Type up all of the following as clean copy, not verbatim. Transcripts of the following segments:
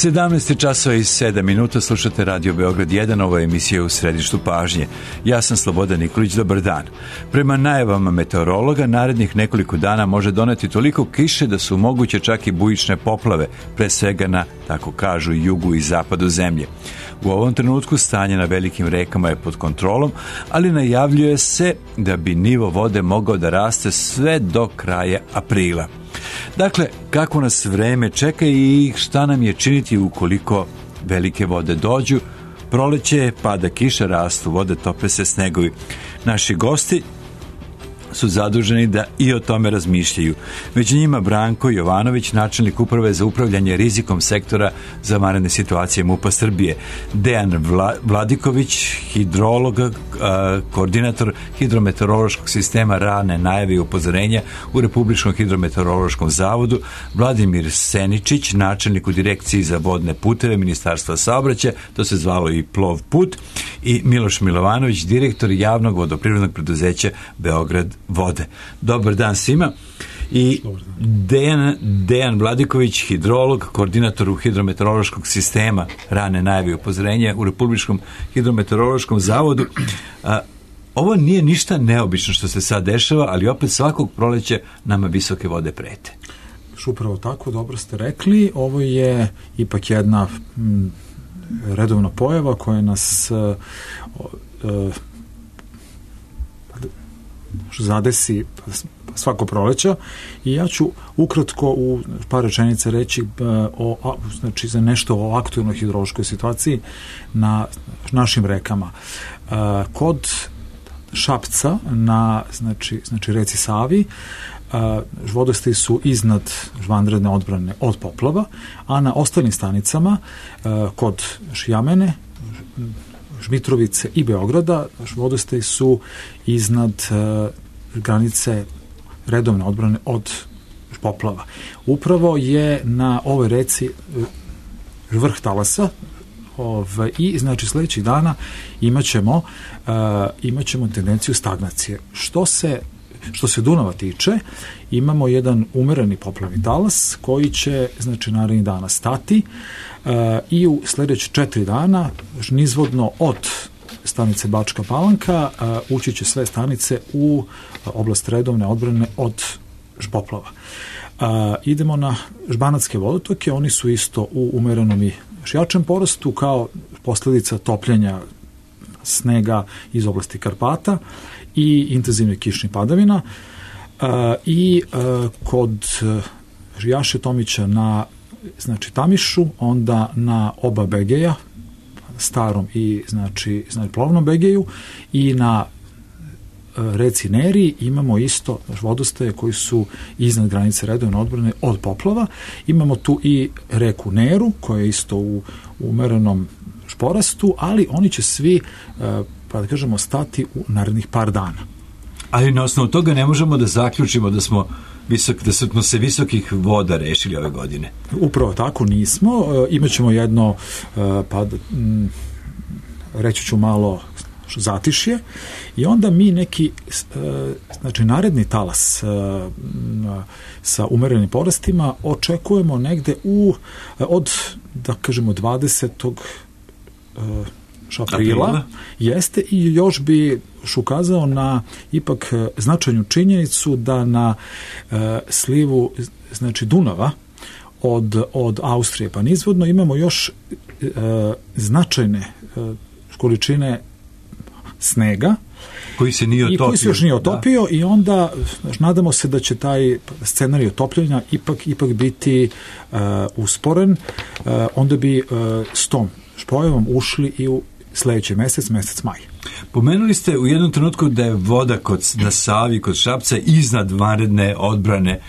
17 časova i 7 minuta, slušate Radio Beograd 1, ovo je emisija U središtu pažnje. Ja sam Slobodan Nikolić, dobar dan. Prema najavama meteorologa, narednih nekoliko dana može doneti toliko kiše da su moguće čak i bujične poplave, pre svega na, tako kažu, jugu i zapadu zemlje. U ovom trenutku stanje na velikim rekama je pod kontrolom, ali najavljuje se da bi nivo vode mogao da raste sve do kraja aprila. Dakle, kako nas vreme čeka i šta nam je činiti ukoliko velike vode dođu? Proleće, pada kiša, rastu vode, tope se snegovi. Naši gosti su zaduženi da i o tome razmišljaju. Među njima Branko Jovanović, načelnik uprave za upravljanje rizikom sektora za vanredne situacije MUP-a Srbije, Dejan Vladiković, hidrolog, koordinator hidrometeorološkog sistema rane najave i upozorenja u Republičkom hidrometeorološkom zavodu, Vladimir Seničić, načelnik u direkciji za vodne puteve Ministarstva saobraćaja, to se zvalo i Plov put, i Miloš Milovanović, direktor javnog vodoprivrednog preduzeća Beograd vode. Dobar dan svima. I Dejan Vladiković, hidrolog, koordinator hidrometeorološkog sistema rane najave i upozorenja u Republičkom hidrometeorološkom zavodu. Ovo nije ništa neobično što se sad dešava, ali opet svakog proleća nama visoke vode prete. Upravo tako, dobro ste rekli. Ovo je ipak jedna redovna pojava koja nas zadesi svako proleća i ja ću ukratko u par rečenica reći znači za nešto o aktuelnoj hidrološkoj situaciji na našim rekama. Kod Šapca na znači reci Savi vodostaji su iznad vanredne odbrane od poplava, a na ostalim stanicama kod Šijamene, Žmitrovice i Beograda vodostaji su iznad granice redovne odbrane od poplava. Upravo je na ovoj reci vrh talasa i znači sledećih dana imaćemo tendenciju stagnacije. Što se Dunava tiče, imamo jedan umereni poplavni talas koji će, znači, narednih dana stati i u sledeće 4 dana nizvodno od stanice Bačka Palanka ući će sve stanice u oblast redovne odbrane od poplava. Idemo na Žbanatske vodotoke, oni su isto u umerenom i jačem porastu kao posledica topljenja snega iz oblasti Karpata i intenzivnih kišnih padavina i kod Jaše Tomića na znači Tamišu, onda na oba Begeja, starom i znači plovnom Begeju, i na reci Neri imamo isto vodostaje koji su iznad granice redovne odbrane od poplava. Imamo tu i reku Neru koja je isto u umerenom porastu, ali oni će svi, pa da kažemo, stati u narednih par dana. Ali na osnovu toga ne možemo da zaključimo da smo se visokih voda rešili ove godine. Upravo tako nismo. Imaćemo jedno, reći ću malo zatišje i onda mi neki znači naredni talas sa umerenim porastima očekujemo negde od, da kažemo, 20. aprila jeste, i još bi ukazao na ipak značajnu činjenicu da na slivu znači Dunava od Austrije pa nizvodno imamo još značajne količine snega koji se još nije otopio, i onda nadamo se da će taj scenarij otopljenja ipak biti usporen, onda bi s tom pojavom ušli i u sledeći mesec maj. Pomenuli ste u jednom trenutku da je voda na Savi kod Šapca iznad vanredne odbrane.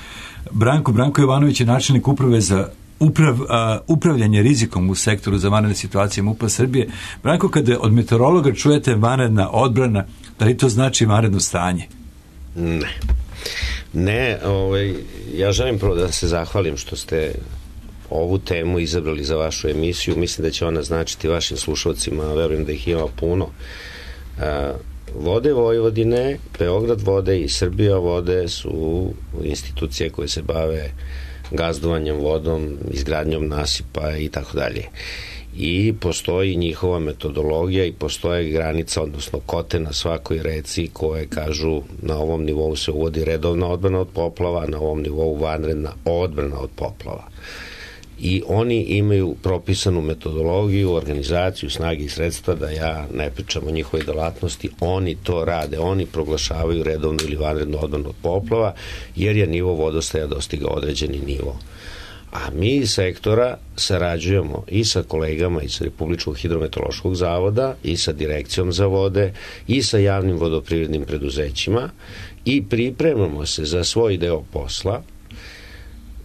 Branko Jovanović je načelnik uprave za upravljanje rizikom u sektoru za vanredne situacije MUP-a Srbije. Branko, kada od meteorologa čujete vanredna odbrana, da li to znači vanredno stanje? Ne, ja želim prvo da se zahvalim što ste ovu temu izabrali za vašu emisiju. Mislim da će ona značiti vašim slušalcima, verujem da ih ima puno. Vode Vojvodine, Beograd vode i Srbija vode su institucije koje se bave gazdovanjem vodom, izgradnjom nasipa i tako dalje. I postoji njihova metodologija i postoje granica, odnosno kote na svakoj reci koje kažu na ovom nivou se uvodi redovna odbrana od poplava, na ovom nivou vanredna odbrana od poplava. I oni imaju propisanu metodologiju, organizaciju, snage i sredstva, da ja ne pričam o njihovoj delatnosti, oni to rade, oni proglašavaju redovnu ili vanrednu odbranu od poplava, jer je nivo vodostaja dostigao određeni nivo. A mi iz sektora sarađujemo i sa kolegama iz Republičkog hidrometeorološkog zavoda i sa Direkcijom za vode i sa javnim vodoprivrednim preduzećima i pripremamo se za svoj deo posla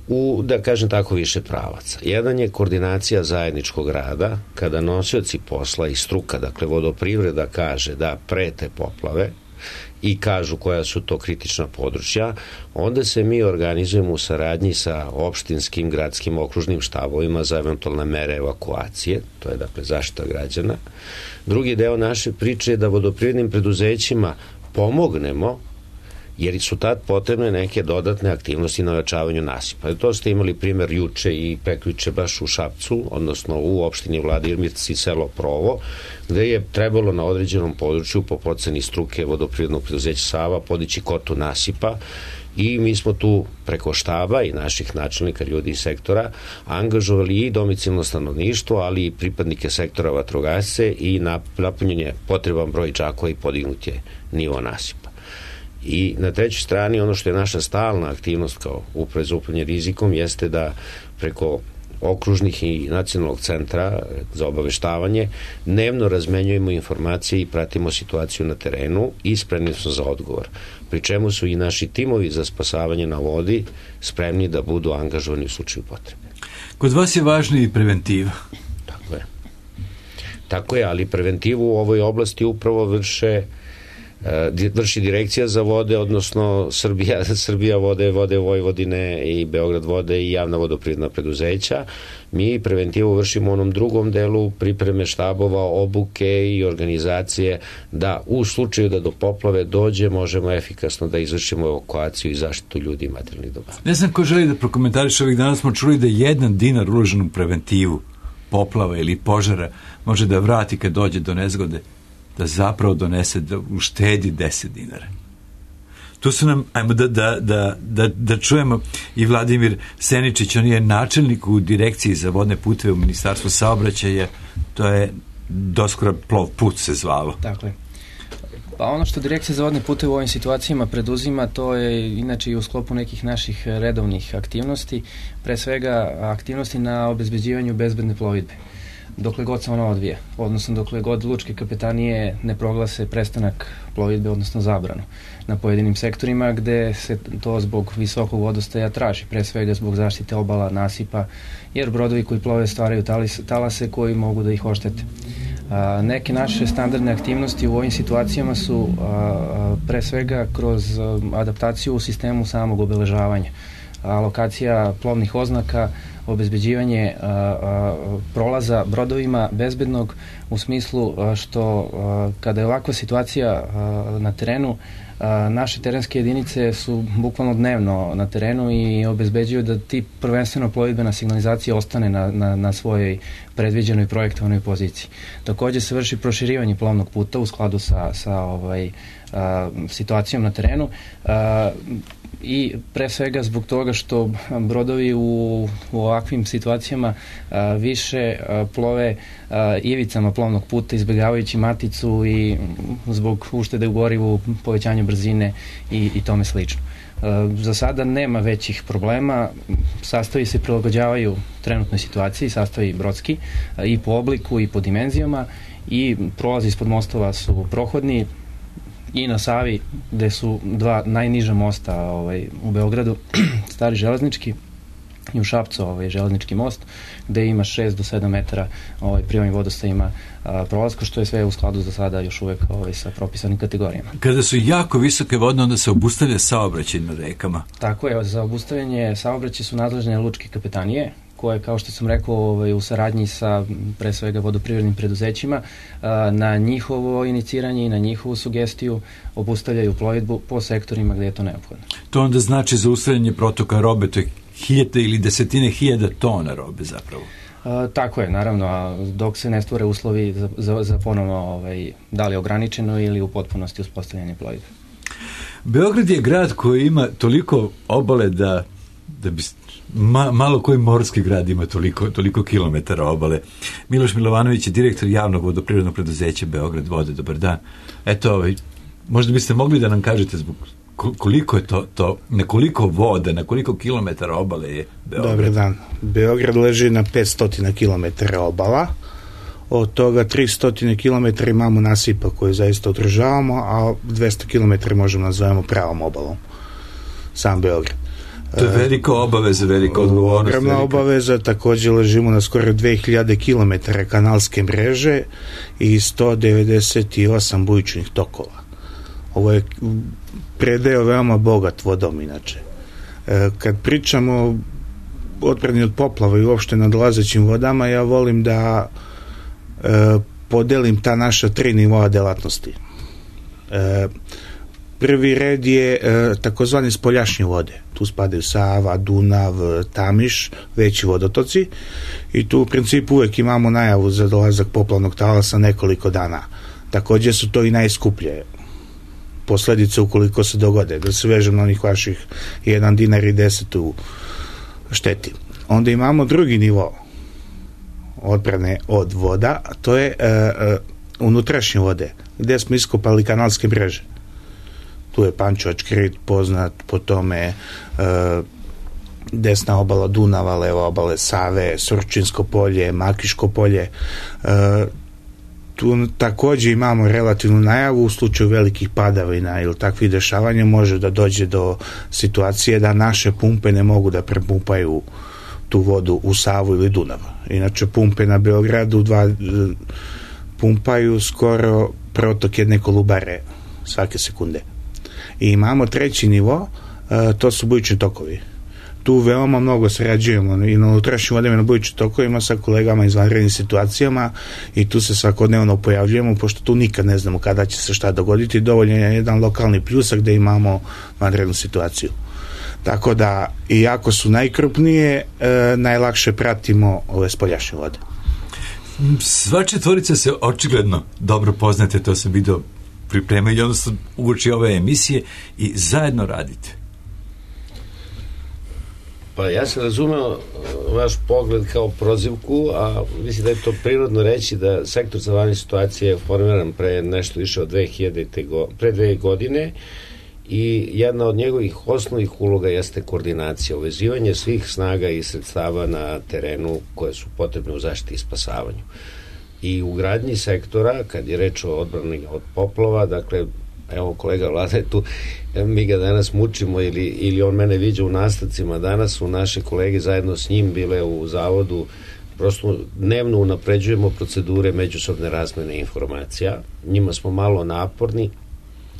u, da kažem tako, više pravaca. Jedan je koordinacija zajedničkog rada, kada nosioci posla i struka, dakle vodoprivreda kaže da prete poplave i kažu koja su to kritična područja, onda se mi organizujemo u saradnji sa opštinskim, gradskim, okružnim štabovima za eventualne mere evakuacije, to je dakle zaštita građana. Drugi deo naše priče je da vodoprivrednim preduzećima pomognemo, jer su tad potrebne neke dodatne aktivnosti na ojačavanju nasipa. To ste imali primer juče i prekjuče baš u Šapcu, odnosno u opštini Vladimir Mirci, selo Provo, gde je trebalo na određenom području po proceni struke vodoprivrednog preduzeća Sava podići kotu nasipa i mi smo tu preko štaba i naših načelnika, ljudi iz sektora, angažovali i domicilno stanovništvo, ali i pripadnike sektora vatrogasce i napunjen je potreban broj džakova i podignut je nivo nasipa. I na trećoj strani ono što je naša stalna aktivnost kao uprave za upravljanje rizikom jeste da preko okružnih i nacionalnog centra za obaveštavanje dnevno razmenjujemo informacije i pratimo situaciju na terenu i spremni smo za odgovor. Pri čemu su i naši timovi za spasavanje na vodi spremni da budu angažovani u slučaju potrebe. Kod vas je važna i preventiva. Tako je. Tako je, ali preventivu u ovoj oblasti upravo vrši Direkcija za vode, odnosno Srbija vode, Vode Vojvodine i Beograd vode i javna vodoprivredna preduzeća. Mi preventivu vršimo u onom drugom delu pripreme štabova, obuke i organizacije da u slučaju da do poplave dođe možemo efikasno da izvršimo evakuaciju i zaštitu ljudi i materijalnih dobara. Ne znam ko želi da prokomentariše, ovih dana smo čuli da 1 dinar uložen u preventivu poplava ili požara može da vrati kad dođe do nezgode, da zapravo donese, da uštedi 10 dinara. Tu su nam, ajmo da čujemo i Vladimir Seničić, on je načelnik u Direkciji za vodne puteve u Ministarstvu saobraćaja, to je doskora plov put se zvalo. Dakle, pa ono što Direkcija za vodne puteve u ovim situacijama preduzima, to je inače i u sklopu nekih naših redovnih aktivnosti, pre svega aktivnosti na obezbeđivanju bezbedne plovidbe. Dokle god se ona odvija, odnosno dokle god lučke kapetanije ne proglase prestanak plovidbe, odnosno zabranu na pojedinim sektorima gde se to zbog visokog vodostaja traži, pre svega zbog zaštite obala, nasipa, jer brodovi koji plove stvaraju talase koji mogu da ih oštete. Neke naše standardne aktivnosti u ovim situacijama su pre svega kroz adaptaciju u sistemu samog obeležavanja, alokacija plovnih oznaka, obezbeđivanje prolaza brodovima bezbednog u smislu što kada je ovakva situacija na terenu, naše terenske jedinice su bukvalno dnevno na terenu i obezbeđuju da ti prvenstveno plovidbena signalizacija ostane na svojoj predviđenoj projektovanoj poziciji. Takođe se vrši proširivanje plovnog puta u skladu sa situacijom na terenu i pre svega zbog toga što brodovi u ovakvim situacijama više plove ivicama plovnog puta, izbjegavajući maticu i zbog uštede u gorivu, povećanja brzine i tome slično. Za sada nema većih problema, sastavi se prilagođavaju trenutnoj situaciji, sastavi brodski i po obliku i po dimenzijama i prolazi ispod mostova su prohodni, i na Savi, gde su 2 najniža mosta u Beogradu, stari železnički, i u Šapcu železnički most, gde ima 6 do 7 metara pri ovim vodostajima prolazka, što je sve u skladu za sada još uvek sa propisanim kategorijama. Kada su jako visoke vodne, onda se obustavlja saobraćaj na rekama. Tako je, za obustavljanje saobraćaja su nadležne lučke kapetanije, koje, kao što sam rekao, u saradnji sa pre svega vodoprivrednim preduzećima, na njihovo iniciranje i na njihovu sugestiju obustavljaju plovidbu po sektorima gde je to neophodno. To onda znači zaustavljanje protoka robe, to je hiljade ili desetine hiljada tona robe zapravo. Tako je, naravno, a dok se ne stvore uslovi za ponovno da li ograničeno ili u potpunosti uspostavljanje plovidbe. Beograd je grad koji ima toliko obale da bi malo koji morski grad ima toliko kilometara obale. Miloš Milovanović je direktor javnog vodoprivrednog preduzeća Beograd vode. Dobar dan. Eto, možda biste mogli da nam kažete zbog koliko je to, na koliko voda, na koliko kilometara obale je Beograd? Dobar dan. Beograd leži na 500 kilometara obala. Od toga 300 km imamo nasipa koje zaista održavamo, a 200 km možemo nazovemo pravom obalom. Sam Beograd. To je velika obaveza, velika odgovornost. Ogromna obaveza, također ležimo na skoro 2000 km kanalske mreže i 198 bujičnih tokova. Ovo je predeo veoma bogat vodom inače. Kad pričamo o odbrani od poplava i uopšte nadolazećim vodama, ja volim da podelim ta naša 3 nivoa delatnosti. Prvi red je takozvani spoljašnje vode. Tu spadaju Sava, Dunav, Tamiš, veći vodotoci i tu u principu uvek imamo najavu za dolazak poplavnog talasa nekoliko dana. Također su to i najskuplje posledice ukoliko se dogode, da se vežem na onih vaših 1 dinar i 10 u šteti. Onda imamo drugi nivo odbrane od voda, a to je unutrašnje vode, gde smo iskopali kanalske mreže. Tu je Pančevački rit poznat, po tome desna obala Dunava, leva obale Save, Surčinsko polje, Makiško polje. Tu također imamo relativnu najavu u slučaju velikih padavina ili takvih dešavanja može da dođe do situacije da naše pumpe ne mogu da prepumpaju tu vodu u Savu ili Dunav. Inače pumpe na Beogradu pumpaju skoro protok jedne Kolubare svake sekunde. I imamo treći nivo, to su bujični tokovi. Tu veoma mnogo sarađujemo i na unutrašnjim vodama i na bujičnim tokovima sa kolegama iz vanrednim situacijama i tu se svakodnevno pojavljujemo, pošto tu nikad ne znamo kada će se šta dogoditi. Dovoljno je jedan lokalni pljusak gde imamo vanrednu situaciju. Tako da, iako su najkrupnije, najlakše pratimo ove spoljašnje vode. Sva četvorica se očigledno dobro poznate, to sam vidio pripremaju, odnosno uoči ove emisije i zajedno radite. Pa ja sam razumeo vaš pogled kao prozivku, a mislim da je to prirodno reći da sektor za vanredne situacije je formiran pre nešto više od 2 godine i jedna od njegovih osnovnih uloga jeste koordinacija, uvezivanje svih snaga i sredstava na terenu koje su potrebne u zaštiti i spasavanju. I u gradnji sektora, kad je reč o odbrani od poplava, dakle, evo kolega Vlada je tu, mi ga danas mučimo ili on mene viđa u nastavcima, danas su naše kolege zajedno s njim bile u zavodu, prosto dnevno unapređujemo procedure međusobne razmene informacija, njima smo malo naporni,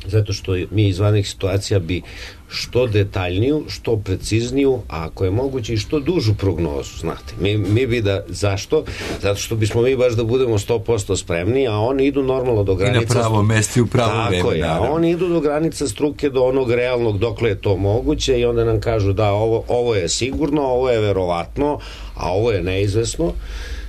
zato što mi iz vanrednih situacija bi što detaljniju, što precizniju, a ako je moguće i što dužu prognozu, znate. Mi bi da, zašto? Zato što bismo mi baš da budemo 100% spremni, a oni idu normalno do granica. I na pravo mesto i u pravo vreme. Tako je, a oni idu do granica struke, do onog realnog dokle je to moguće i onda nam kažu da ovo je sigurno, ovo je verovatno, a ovo je neizvesno.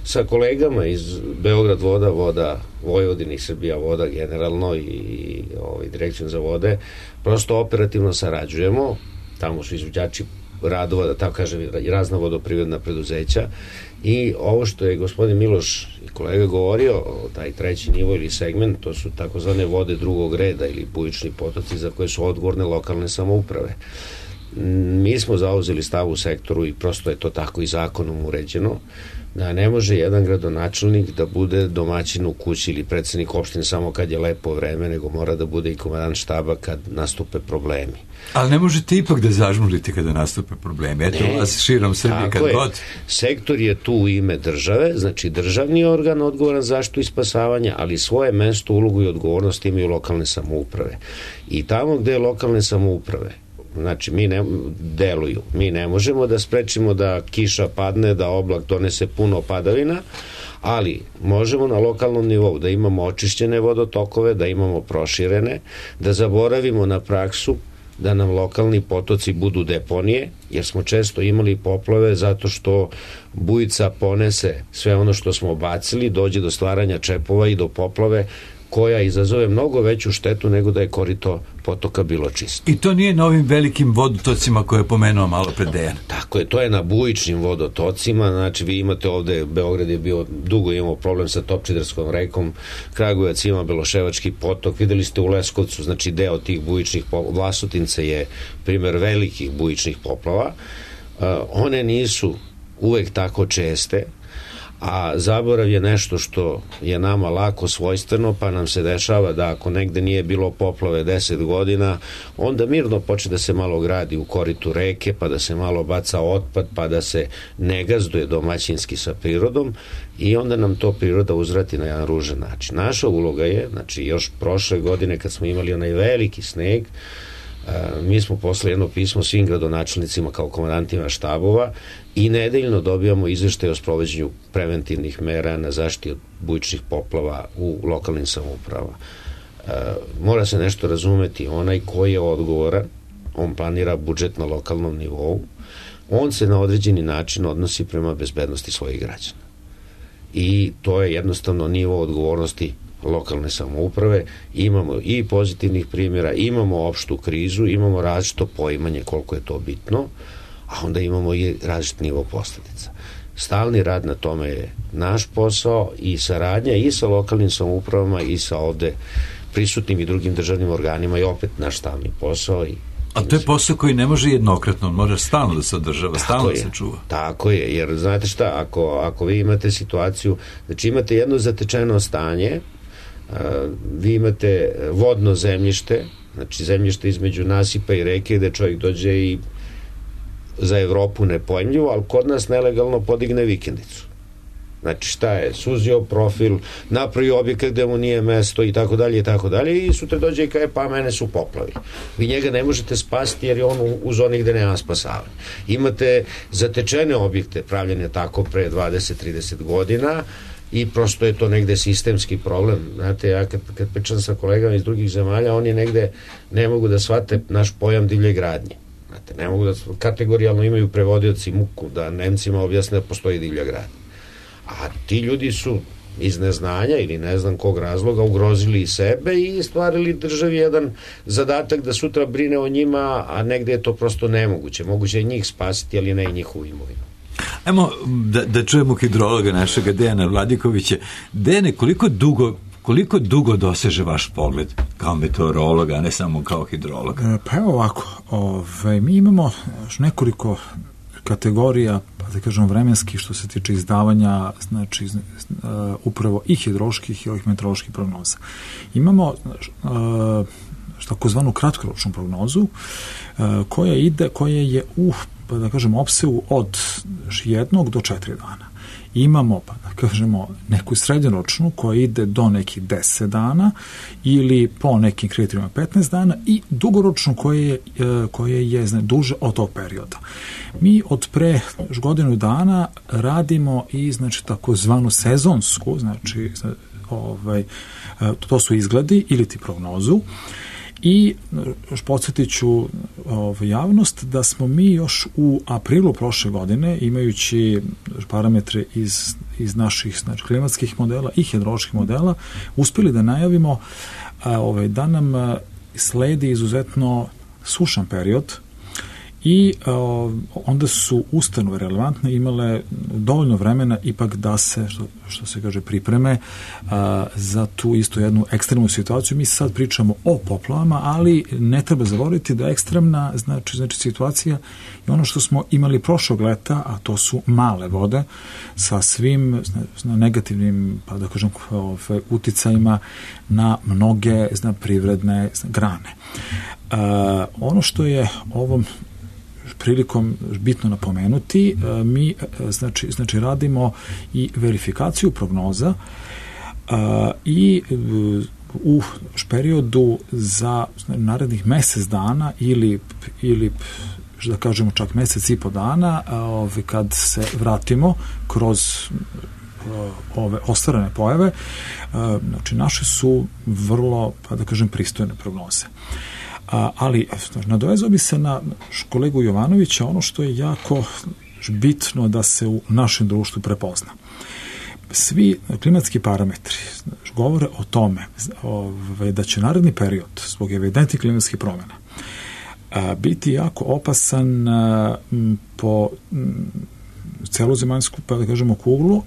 Sa kolegama iz Beograd voda Vojvodini, Srbija voda generalno i direkcijom za vode, prosto operativno sarađujemo, tamo su izvođači radova, da tako kažem, razna vodoprivredna preduzeća i ovo što je gospodin Miloš i kolega govorio, taj treći nivo ili segment, to su takozvane vode drugog reda ili bujični potoci za koje su odgovorne lokalne samouprave. Mi smo zauzeli stav u sektoru i prosto je to tako i zakonom uređeno, da ne može jedan gradonačelnik da bude domaćin u kući ili predsednik opštine samo kad je lepo vreme, nego mora da bude i komandant štaba kad nastupe problemi. Ali ne možete ipak da zažmurite kada nastupe problemi. Eto vas širom Srbije kad god. Sektor je tu u ime države, znači državni organ odgovoran za zaštitu i spasavanje, ali svoje mesto, ulogu i odgovornost imaju lokalne samouprave. I tamo gde je lokalne samouprave, znači mi ne možemo da sprečimo da kiša padne, da oblak donese puno padavina, ali možemo na lokalnom nivou da imamo očišćene vodotokove, da imamo proširene, da zaboravimo na praksu da nam lokalni potoci budu deponije, jer smo često imali poplave zato što bujica ponese sve ono što smo bacili, dođe do stvaranja čepova i do poplave koja izazove mnogo veću štetu nego da je korito potoka bilo čisto. I to nije na ovim velikim vodotocima koje je pomenuo malo pred Dejan. Tako je, to je na bujičnim vodotocima, znači vi imate ovde, Beograd je bio, dugo imao problem sa Topčiderskom rekom, Kragujevac ima Beloševački potok, videli ste u Leskovcu, znači deo tih bujičnih poplava, Vlasotince je primer velikih bujičnih poplava, one nisu uvek tako česte, a zaborav je nešto što je nama lako svojstveno, pa nam se dešava da ako negde nije bilo poplave 10 godina, onda mirno počne da se malo gradi u koritu reke, pa da se malo baca otpad, pa da se ne gazduje domaćinski sa prirodom i onda nam to priroda uzvrati na jedan ružan način. Naša uloga je, znači još prošle godine kad smo imali onaj veliki sneg, mi smo poslali jedno pismo svim gradonačelnicima kao komandantima štabova i nedeljno dobijamo izveštaj o sprovođenju preventivnih mera na zaštiti od bujičnih poplava u lokalnim samoupravama. Mora se nešto razumeti, onaj koji je odgovoran, on planira budžet na lokalnom nivou, on se na određeni način odnosi prema bezbednosti svojih građana. I to je jednostavno nivo odgovornosti lokalne samouprave, imamo i pozitivnih primjera, imamo opštu krizu, imamo različito poimanje koliko je to bitno, a onda imamo i različit nivo posledica. Stalni rad na tome je naš posao i saradnja i sa lokalnim samoupravama i sa ovde prisutnim i drugim državnim organima je opet naš stalni posao. A to je posao koji ne može jednokratno, on može stalno da se održava, stalno da se čuva. Tako je, jer znate šta, ako vi imate situaciju, znači imate jedno zatečeno stanje, vi imate vodno zemljište, znači zemljište između nasipa i reke gde čovjek dođe i za Evropu nepojmljivo, ali kod nas nelegalno podigne vikendicu. Znači šta je, suzio profil, napravio objekat gde mu nije mesto i tako dalje i sutra dođe i kaže pa mene su poplavi. Vi njega ne možete spasiti jer je on u zoni gde nema spasavanja. Imate zatečene objekte pravljene tako pre 20-30 godina i prosto je to negde sistemski problem. Znate, ja kad pričam sa kolegama iz drugih zemalja, oni negde ne mogu da shvate naš pojam divlje gradnje. Znate, ne mogu da kategorijalno imaju prevodioci muku da Nemcima objasne da postoji divlja gradnja. A ti ljudi su iz neznanja ili ne znam kog razloga ugrozili i sebe i stvarili državi jedan zadatak da sutra brine o njima, a negde je to prosto nemoguće. Moguće je njih spasiti, ali ne i njihovu imovinu. Ajmo da čujemo hidrologa našega Dejana Vladikovića. Dejane, koliko dugo doseže vaš pogled kao meteorologa, a ne samo kao hidrologa? Pa evo ovako, mi imamo nekoliko kategorija, pa da kažem vremenskih što se tiče izdavanja, znači upravo i hidroloških i ovih meteoroloških prognoza. Imamo takozvanu kratkoročnu prognozu koja je u, pa da kažem, opsegu od 1 do 4 dana. Imamo, pa da kažemo, neku srednjoročnu koja ide do nekih 10 dana ili po nekim kriterijima 15 dana i dugoročnu koja je duže od tog perioda. Mi od pre godinu dana radimo i znači takozvanu sezonsku, znači to su izgledi ili ti prognozu. I podsjetit ću javnost da smo mi još u aprilu prošle godine, imajući parametre iz naših znači, klimatskih modela i hidroloških modela, uspjeli da najavimo da nam sledi izuzetno sušan period i onda su ustanove relevantne imale dovoljno vremena ipak da se, što se kaže, pripreme za tu isto jednu ekstremnu situaciju. Mi sad pričamo o poplavama, ali ne treba zaboraviti da ekstremna znači situacija je ono što smo imali prošlog leta, a to su male vode sa svim negativnim, pa da kažem, uticajima na mnoge privredne grane. Ono što je ovom prilikom bitno napomenuti, mi znači radimo i verifikaciju prognoza i u periodu za narednih mesec dana ili da kažemo čak mesec i po dana kad se vratimo kroz ove ostvarene pojave, znači naše su vrlo, pa da kažem, pristojne prognoze. Ali nadovezao bi se na kolegu Jovanovića, ono što je jako bitno da se u našem društvu prepozna. Svi klimatski parametri govore o tome da će naredni period zbog evidentnih klimatskih promjena biti jako opasan po celu zemaljsku, pa da kažemo, kuglu,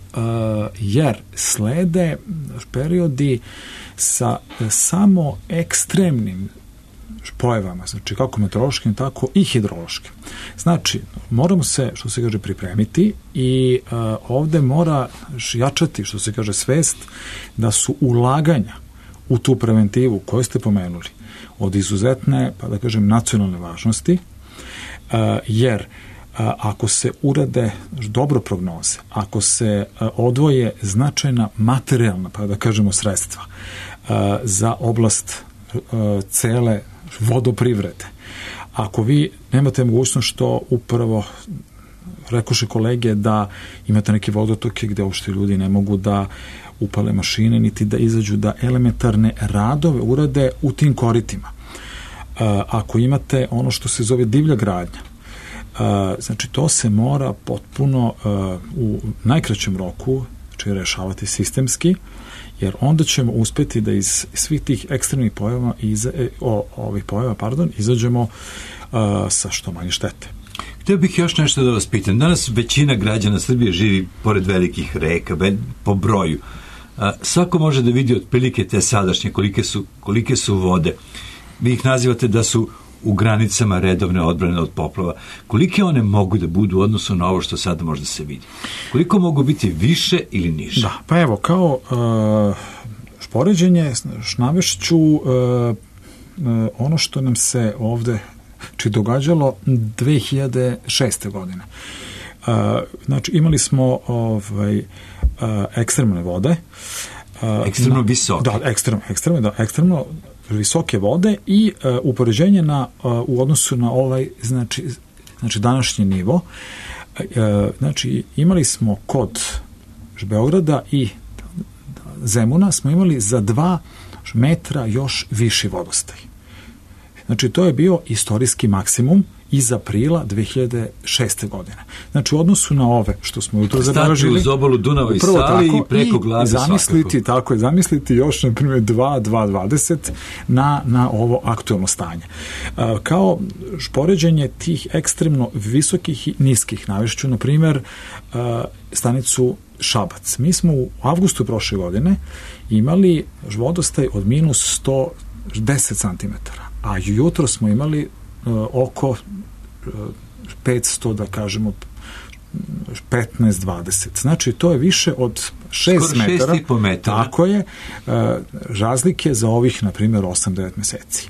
jer slede periodi sa samo ekstremnim pojavama, znači kako meteorološkim, tako i hidrološkim. Znači, moramo se, što se kaže, pripremiti i ovde mora jačati, što se kaže, svest da su ulaganja u tu preventivu koju ste pomenuli od izuzetne, pa da kažem, nacionalne važnosti, jer ako se urade dobro prognoze, ako se odvoje značajna materijalna, pa da kažemo, sredstva za oblast cele vodoprivrede, ako vi nemate mogućnost, što upravo rekoše kolege, da imate neke vodotoke gde uopšte ljudi ne mogu da upale mašine, niti da izađu da elementarne radove urade u tim koritima. Ako imate ono što se zove divlja gradnja, znači to se mora potpuno u najkraćem roku, znači, rešavati sistemski, jer onda ćemo uspeti da iz svih tih ekstremnih pojava izađemo sa što manje štete. Htio bih još nešto da vas pitam. Danas većina građana Srbije živi pored velikih reka, po broju. Svako može da vidi otprilike te sadašnje, kolike su vode. Vi ih nazivate da su u granicama redovne odbrane od poplava. Kolike one mogu da budu u odnosu na ovo što sada možda se vidi? Koliko mogu biti više ili niže? Da, pa evo, kao poređenje navešću ono što nam se ovde događalo 2006. godine. Znači, imali smo ekstremne vode. Ekstremno visoke. Da, ekstremno visoke vode i upoređenje u odnosu na ovaj, znači današnji nivo. Znači, imali smo kod Beograda i Zemuna smo imali za 2 metra još viši vodostaj. Znači, to je bio istorijski maksimum iz aprila 2006. godine. Znači, u odnosu na ove što smo jutro zabeležili, uz obalu Dunava i Save i preko glave svakako. Zamisliti još, na primjer, 2,20 na ovo aktuelno stanje. Kao poređenje tih ekstremno visokih i niskih, navešću, na primjer, stanicu Šabac. Mi smo u avgustu prošle godine imali vodostaj od minus 110 cm, a jutro smo imali oko 500, da kažemo, 15-20. Znači, to je više od 6 metara. 6,5 metara. Tako je, razlike za ovih, na primjer, 8-9 meseci.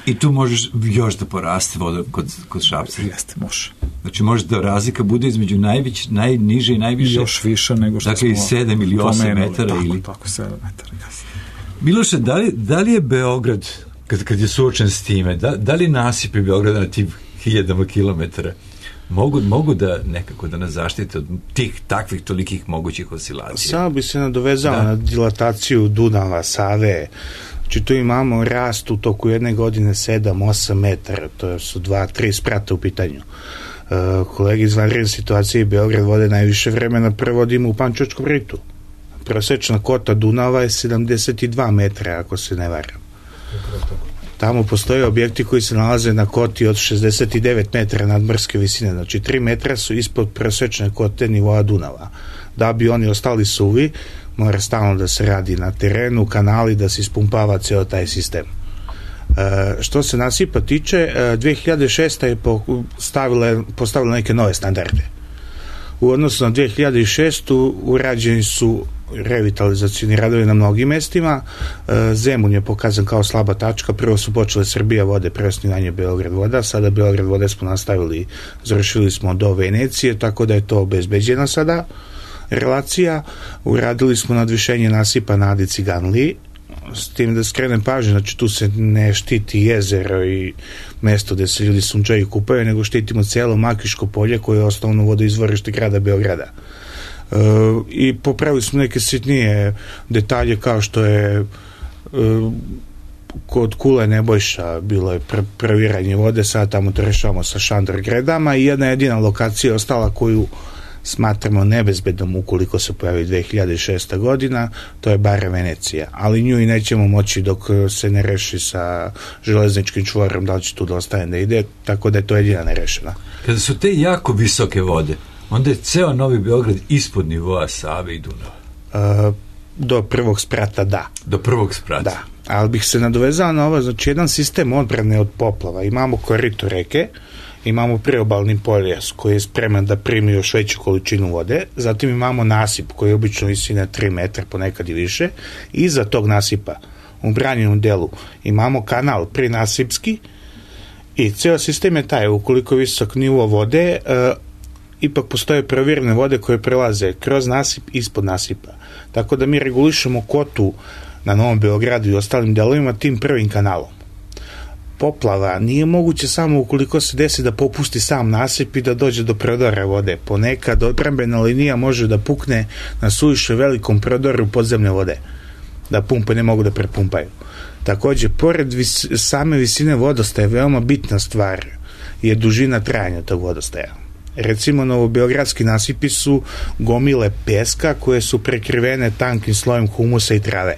I tu možeš još da poraste voda kod Šapca? Jeste, može. Znači, može da razlika bude između najniže i najviše? Još više nego što dakle, smo 7 ili 8 metara? Tako, 7 metara, jasno. Miloše, da li je Beograd, kad je suočen s time, da li nasipi Beograda na tim 1000 kilometara mogu da nekako da nas zaštite od tih takvih tolikih mogućih oscilacija? Samo bi se nadovezao na dilataciju Dunava, Save. Znači, tu imamo rast u toku jedne godine 7-8 metara, to su 2-3 sprata u pitanju. Kolegi iz vanredne situacije Beograd vode najviše vremena prevodimo u Pančevačkom ritu. Prosečna kota Dunava je 72 metra, ako se ne varam. Tamo postoje objekti koji se nalaze na koti od 69 metara nadmorske visine, znači 3 metra su ispod prosečne kote nivoa Dunava. Da bi oni ostali suvi, mora stalno da se radi na terenu, kanali, da se ispumpava ceo taj sistem. Što se nasipa tiče, 2006. je postavila neke nove standarde. U odnosu na 2006. urađeni su revitalizacijni radovi na mnogim mestima. Zemun je pokazan kao slaba tačka. Prvo su počele Srbija vode, preosnivanje Beograd voda, sada Beograd vode smo nastavili, završili smo do Venecije, tako da je to obezbeđena sada relacija. Uradili smo nadvišenje nasipa na Adi Ciganliji, s tim da skrenem pažnju, znači tu se ne štiti jezero i mesto gde se ljudi sunčaju kupaju, nego štitimo cijelo Makiško polje koje je osnovno vodoizvorište grada Beograda. I popravili smo neke sitnije detalje kao što je kod Kule Nebojša bilo je previranje vode, sad tamo to rešavamo sa šandor gredama i jedna jedina lokacija ostala koju smatramo nebezbednom ukoliko se pojavi 2006. godina, to je Bara Venecija, ali nju i nećemo moći dok se ne reši sa železničkim čvorom, da li će tu da ostane da ide, tako da je to jedina nerešena. Kada su te jako visoke vode, onda je ceo Novi Beograd ispod nivoa Save i Dunava. Do prvog sprata, da. Do prvog sprata. Da, ali bih se nadovezao na ovo, znači jedan sistem odbrane od poplava. Imamo korito reke, imamo priobalni poljas koji je spreman da primi još veću količinu vode, zatim imamo nasip koji je obično visine 3 metra, ponekad i više, i iza tog nasipa u branjenom delu imamo kanal prinasipski i ceo sistem je taj, ukoliko je visok nivo vode, ipak postoje provjerene vode koje prelaze kroz nasip, ispod nasipa. Tako da mi regulišemo kotu na Novom Beogradu i ostalim delovima tim prvim kanalom. Poplava nije moguće samo ukoliko se desi da popusti sam nasip i da dođe do prodora vode. Ponekad odbrambena linija može da pukne na suviše velikom prodoru podzemne vode, da pumpe ne mogu da prepumpaju. Takođe, pored same visine vodostaja, veoma bitna stvar je dužina trajanja tog vodostaja. Recimo, novobeogradski nasipi su gomile peska koje su prekrivene tankim slojem humusa i trave.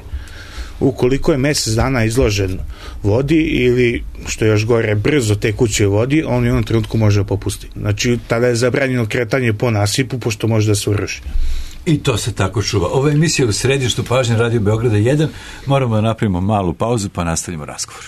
Ukoliko je mesec dana izložen vodi ili, što je još gore, brzo tekućoj vodi, on u jednom trenutku može popustiti. Znači, tada je zabranjeno kretanje po nasipu, pošto može da se uruši. I to se tako čuva. Ova emisija u središtu pažnje Radio Beograda 1. Moramo da napravimo malu pauzu pa nastavimo razgovor.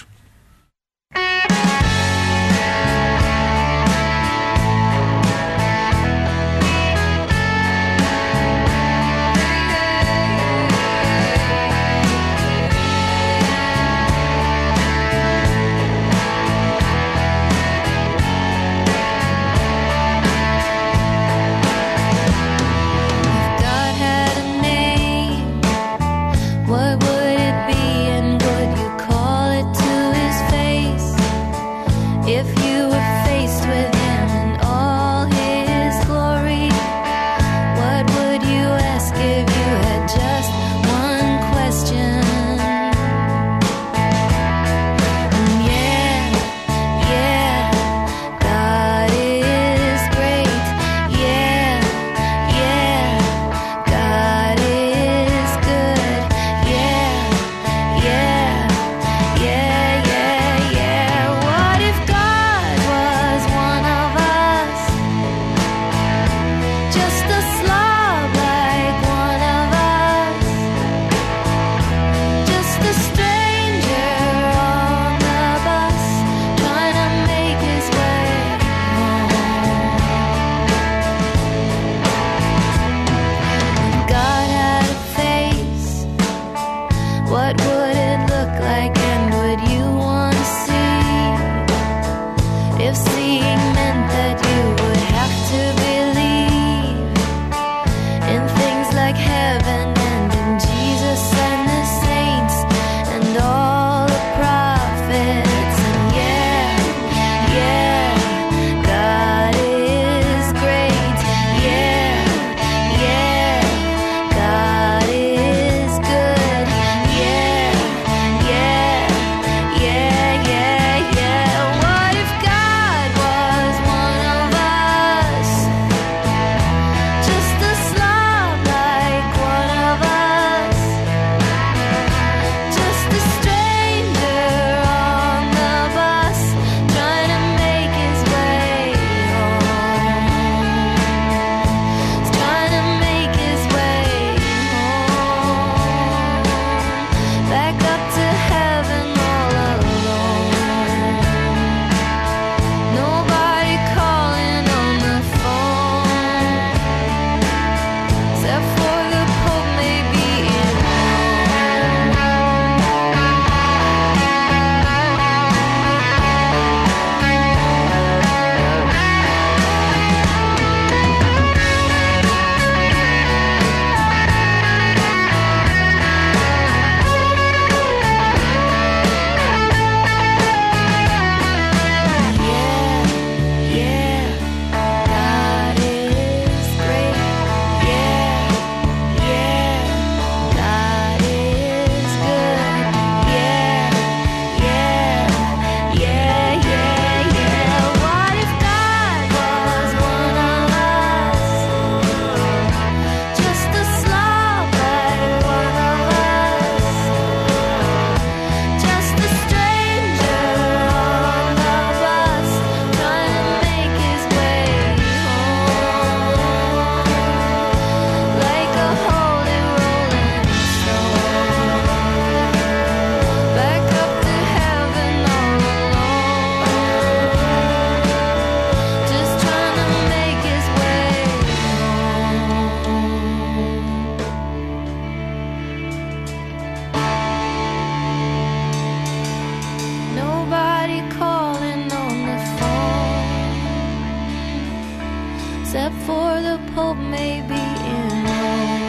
the Pope may be in Rome.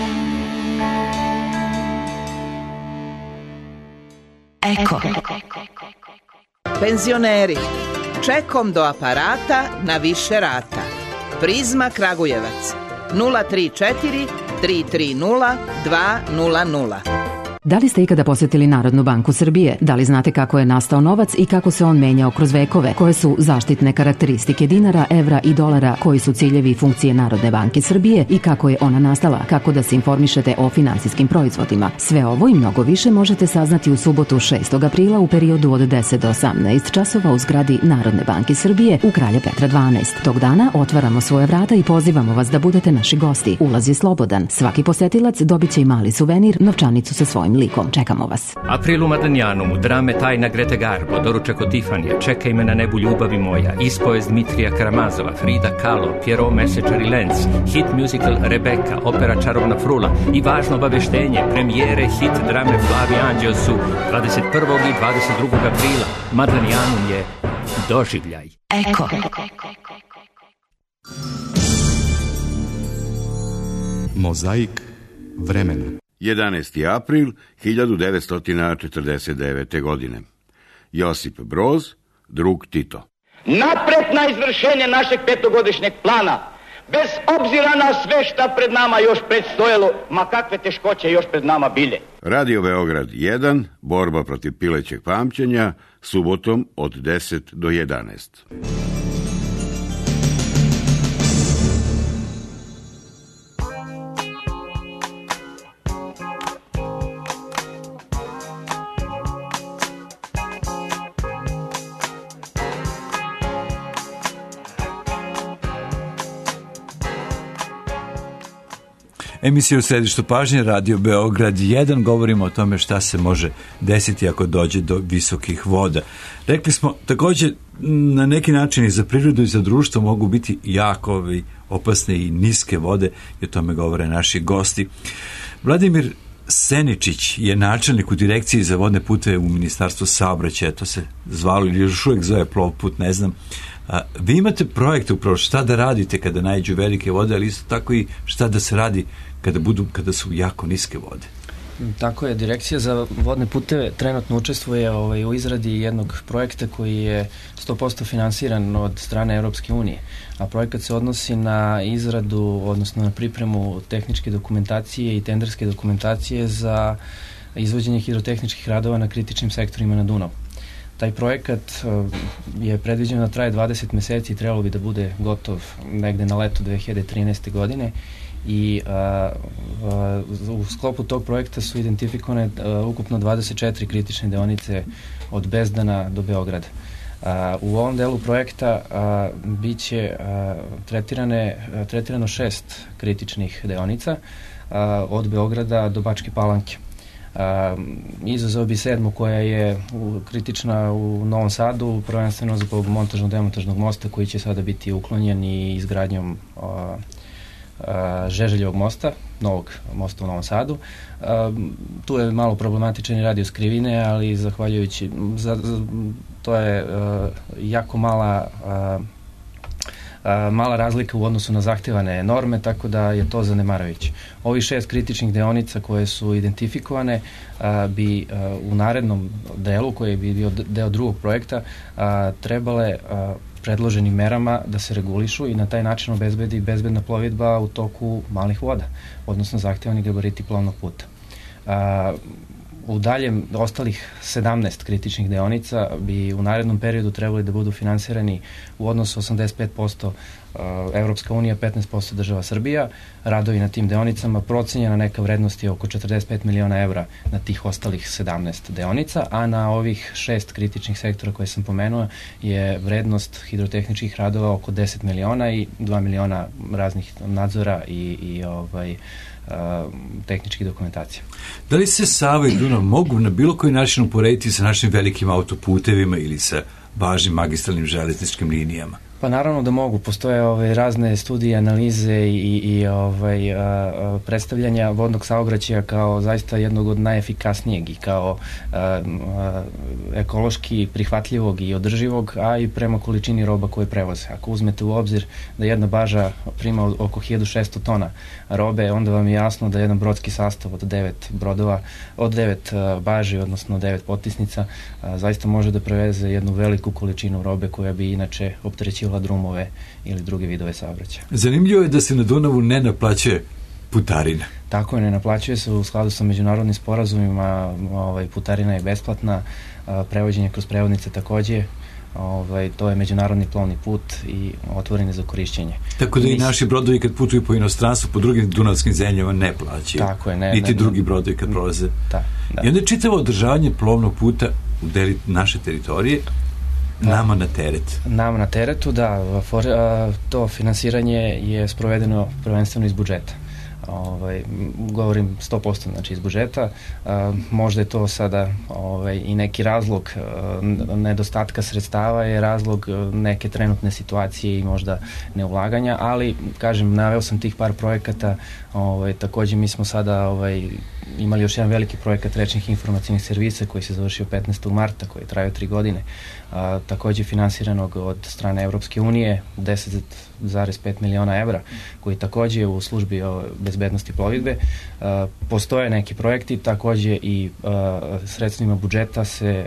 Eko. Penzioneri, čekom do aparata na više rata. Prizma Kragujevac 034 330 200. Da li ste ikada posjetili Narodnu banku Srbije? Da li znate kako je nastao novac i kako se on menjao kroz vekove? Koje su zaštitne karakteristike dinara, evra i dolara? Koji su ciljevi i funkcije Narodne banke Srbije i kako je ona nastala? Kako da se informišete o finansijskim proizvodima? Sve ovo i mnogo više možete saznati u subotu 6. aprila u periodu od 10 do 18 časova u zgradi Narodne banke Srbije u Kralja Petra 12. Tog dana otvaramo svoje vrata i pozivamo vas da budete naši gosti. Ulaz je slobodan. Svaki posetilac dobit će i mali suvenir, novčanicu sa svojim likom. Čekamo vas. April u Madlenjanu, drame Tajna Grete Garbo, doručak od Tifanija, Čekaj me na nebu ljubavi moja, ispovest Dmitrija Karamazova, Frida Kahlo, Pierrot Mesečar i Lenz, hit musical Rebeka, opera Čarovna frula i važno obaveštenje, premijere hit drame Flavi Anđeo su 21. i 22. aprila. Madlenjanum je doživljaj. Eko. Mozaik vremena. 11. april 1949. godine. Josip Broz, drug Tito. Napred na izvršenje našeg petogodišnjeg plana, bez obzira na sve šta pred nama još predstojalo, ma kakve teškoće još pred nama bile. Radio Beograd 1, borba protiv pilećeg pamćenja, subotom od 10 do 11. Emisija u središtu pažnje, Radio Beograd 1, govorimo o tome šta se može desiti ako dođe do visokih voda. Rekli smo, također, na neki način i za prirodu i za društvo mogu biti jako opasne i niske vode, i o tome govore naši gosti. Vladimir Seničić je načelnik u direkciji za vodne puteve u Ministarstvu saobraćaja, to se zvalo ili još uvijek zove Plovput, ne znam. Vi imate projekte upravo šta da radite kada naiđu velike vode, ali isto tako i šta da se radi kada su jako niske vode. Tako je, Direkcija za vodne puteve trenutno učestvuje u izradi jednog projekta koji je 100% finansiran od strane Europske unije, a projekat se odnosi na izradu, odnosno na pripremu tehničke dokumentacije i tenderske dokumentacije za izvođenje hidrotehničkih radova na kritičnim sektorima na Dunavu. Taj projekat je predviđen da traje 20 meseci i trebalo bi da bude gotov negde na leto 2013. godine i u sklopu tog projekta su identifikovane ukupno 24 kritične deonice od Bezdana do Beograda. U ovom delu projekta biće tretirano 6 kritičnih deonica od Beograda do Bačke Palanke. Izazov bi 7. koja je kritična u Novom Sadu, prvenstveno zbog montažno-demontažnog mosta koji će sada biti uklonjen i izgradnjom Žeželjevog mosta, novog mosta u Novom Sadu. Tu je malo problematičan i radijus krivine, ali zahvaljujući, to je jako mala razlika u odnosu na zahtevane norme, tako da je to zanemarujuće. Ovih 6 kritičnih deonica koje su identifikovane bi u narednom delu, koji bi bio deo drugog projekta, trebale predloženim merama da se regulišu i na taj način obezbedi bezbedna plovidba u toku malih voda, odnosno zahtevani gabariti plovnog puta. U daljem ostalih 17 kritičnih deonica bi u narednom periodu trebali da budu finansirani u odnosu 85% Evropska unija, 15% država Srbija. Radovi na tim deonicama procenjena neka vrednost je oko 45 miliona evra na tih ostalih 17 deonica, a na ovih 6 kritičnih sektora koje sam pomenuo je vrednost hidrotehničkih radova oko 10 miliona i 2 miliona raznih nadzora i tehničke dokumentacije. Da li se Sava i Dunav mogu na bilo koji način uporediti sa našim velikim autoputevima ili sa važnim magistralnim železničkim linijama? Pa naravno da mogu. Postoje razne studije, analize i predstavljanja vodnog saobraćaja kao zaista jednog od najefikasnijeg i kao ekološki prihvatljivog i održivog, a i prema količini roba koje prevoze. Ako uzmete u obzir da jedna baža prima oko 1600 tona robe, onda vam je jasno da jedan brodski sastav od 9 brodova, od 9 baži, odnosno 9 potisnica, zaista može da preveze jednu veliku količinu robe koja bi inače opterećivala drumove ili druge vidove saobraćaja. Zanimljivo je da se na Dunavu ne naplaćuje putarina. Tako je, ne naplaćuje se u skladu sa međunarodnim sporazumima, putarina je besplatna, prevođenje kroz prevodnice takođe, to je međunarodni plovni put i otvoren je za korišćenje. Tako da i naši brodovi kad putuju po inostranstvu, po drugim dunavskim zemljama ne plaćaju. Tako je, niti drugi brodovi kad prolaze. Da. I onda je čitavo održavanje plovnog puta u deli naše teritorije nama na teret. Nama na teretu, da. To finansiranje je sprovedeno prvenstveno iz budžeta. Govorim 100%, znači iz budžeta. Možda je to sada i neki razlog nedostatka sredstava, je razlog neke trenutne situacije i možda neulaganja, ali kažem, naveo sam tih par projekata. Takođe mi smo sada imali još jedan veliki projekat rečnih informacijnih servisa koji se završio 15. marta, koji je trajao 3 godine, takođe finansiranog od strane Evropske unije 10,5 miliona evra, koji takođe je u službi bezbednosti plovidbe. Postoje neki projekti, takođe i sredstvima budžeta se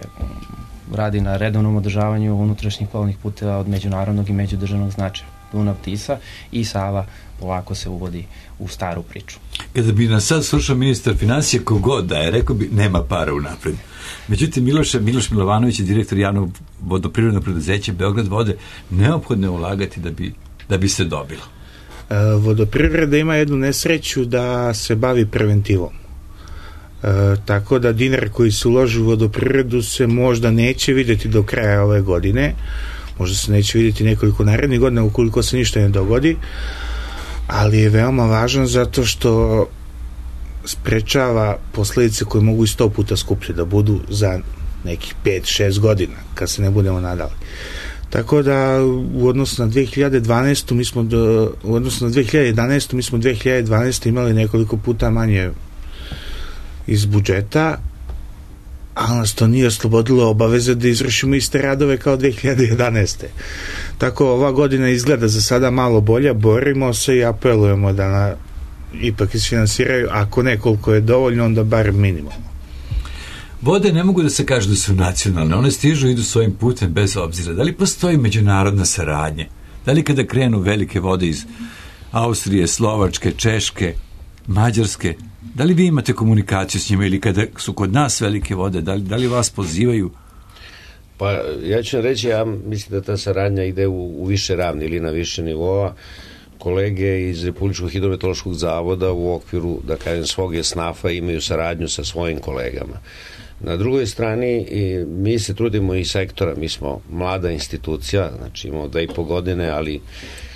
radi na redovnom održavanju unutrašnjih plovnih puteva od međunarodnog i međudržavnog značaja. Dunav, Tisa i Sava polako se uvodi u staru priču. Kada bi nas sad slušao ministar financija kogod da je, rekao bi nema para unapred. Međutim, Miloš Milovanović je direktor javnog vodoprivrednog preduzeća Beograd vode, neophodno je ulagati da bi se dobilo. Vodoprivreda ima jednu nesreću da se bavi preventivom. Tako da dinar koji se uloži u vodoprivredu se možda neće vidjeti do kraja ove godine, možda se neće vidjeti nekoliko narednih godina ukoliko se ništa ne dogodi, ali je veoma važan zato što sprečava posledice koje mogu i 100 puta skuplje da budu za nekih 5-6 godina kad se ne budemo nadali. Tako da u odnosu na 2012. mi smo u odnosu na 2011. mi smo 2012. imali nekoliko puta manje iz budžeta, ali nas to nije oslobodilo obaveze da izvršimo iste radove kao 2011. Tako ova godina izgleda za sada malo bolja, borimo se i apelujemo da ipak isfinansiraju, ako ne koliko je dovoljno, onda bar minimalno. Vode ne mogu da se kažu da su nacionalne, one stižu i idu svojim putem bez obzira. Da li postoji međunarodna saradnja? Da li kada krenu velike vode iz Austrije, Slovačke, Češke, Mađarske, da li vi imate komunikaciju s njima ili kada su kod nas velike vode, da li vas pozivaju? Pa ja ću reći, ja mislim da ta saradnja ide u više ravni ili na više nivoa. Kolege iz Republičkog hidrometeorološkog zavoda u okviru, da kažem, svog SNAF-a imaju saradnju sa svojim kolegama. Na drugoj strani mi se trudimo i sektora, mi smo mlada institucija, znači imamo 2,5 godine, ali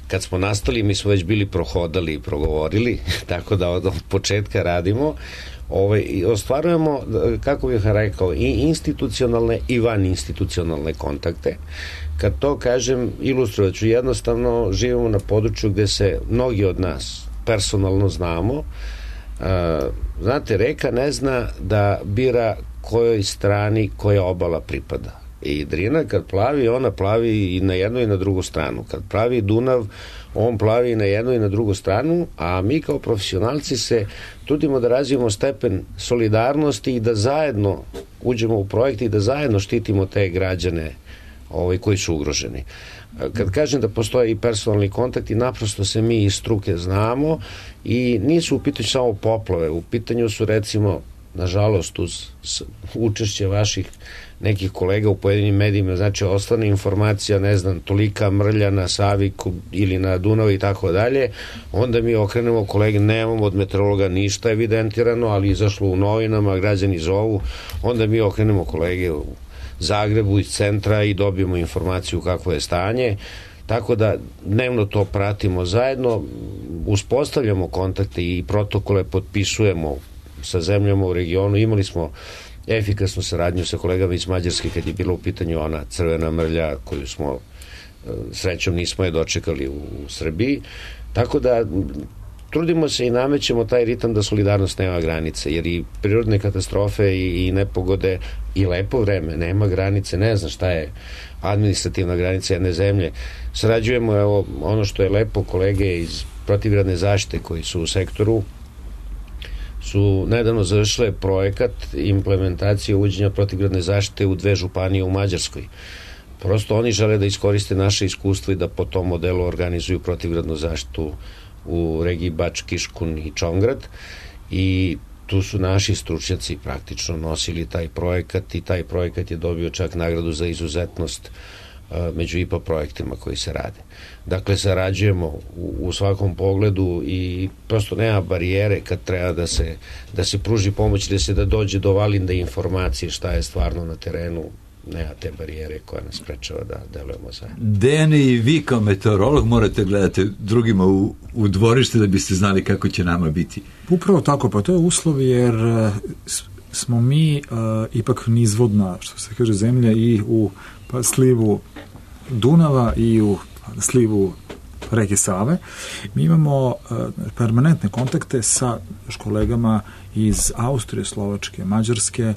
kad smo nastali mi smo već bili prohodali i progovorili, tako da od početka radimo. Ostvarujemo, kako bih rekao, i institucionalne i van institucionalne kontakte. Kad to kažem, ilustrovat ću, jednostavno živimo na području gde se mnogi od nas personalno znamo. Znate, reka ne zna da bira kojoj strani koja obala pripada. I Drina kad plavi, ona plavi i na jednu i na drugu stranu. Kad plavi Dunav, on plavi i na jednu i na drugu stranu, a mi kao profesionalci se trudimo da razvijemo stepen solidarnosti i da zajedno uđemo u projekt i da zajedno štitimo te građane koji su ugroženi. Kad kažem da postoje i personalni kontakti, naprosto se mi iz struke znamo i nisu u pitanju samo poplave, u pitanju su recimo, nažalost, uz učešće vaših nekih kolega u pojedinim medijima, znači ostane informacija, ne znam, tolika mrlja na Savi ili na Dunavu i tako dalje, onda mi okrenemo kolege, nemamo od meteorologa ništa evidentirano, ali izašlo u novinama, građani zovu, onda mi okrenemo kolege u Zagrebu iz centra i dobijemo informaciju kakvo je stanje, tako da dnevno to pratimo zajedno, uspostavljamo kontakte i protokole potpisujemo sa zemljama u regionu. Imali smo efikasnu saradnju sa kolegama iz Mađarske kad je bila u pitanju ona crvena mrlja koju smo srećom nismo je dočekali u Srbiji. Tako da trudimo se i namećemo taj ritam da solidarnost nema granice, jer i prirodne katastrofe i nepogode i lepo vreme nema granice, ne znam šta je administrativna granica jedne zemlje. Sarađujemo, evo, ono što je lepo, kolege iz protivgradne zaštite koji su u sektoru su nedavno završile projekat implementacije uvođenja protivgradne zaštite u 2 županije u Mađarskoj. Prosto oni žele da iskoriste naše iskustvo i da po tom modelu organizuju protivgradnu zaštitu u regiji Bač, Kiškun i Čongrad, i tu su naši stručnjaci praktično nosili taj projekat i taj projekat je dobio čak nagradu za izuzetnost među IPA projektima koji se rade. Dakle, sarađujemo u svakom pogledu i prosto nema barijere kad treba da se pruži pomoć, da dođe do validne informacije šta je stvarno na terenu. Nema te barijere koja nas sprečava da delujemo zajedno. Dejane, i vi kao meteorolog morate gledati drugima u dvorište da biste znali kako će nama biti. Upravo tako, pa to je uslov, jer smo mi ipak nizvodna, što se kaže, zemlja i u slivu Dunava i u slivu reke Save. Mi imamo permanentne kontakte sa kolegama iz Austrije, Slovačke, Mađarske,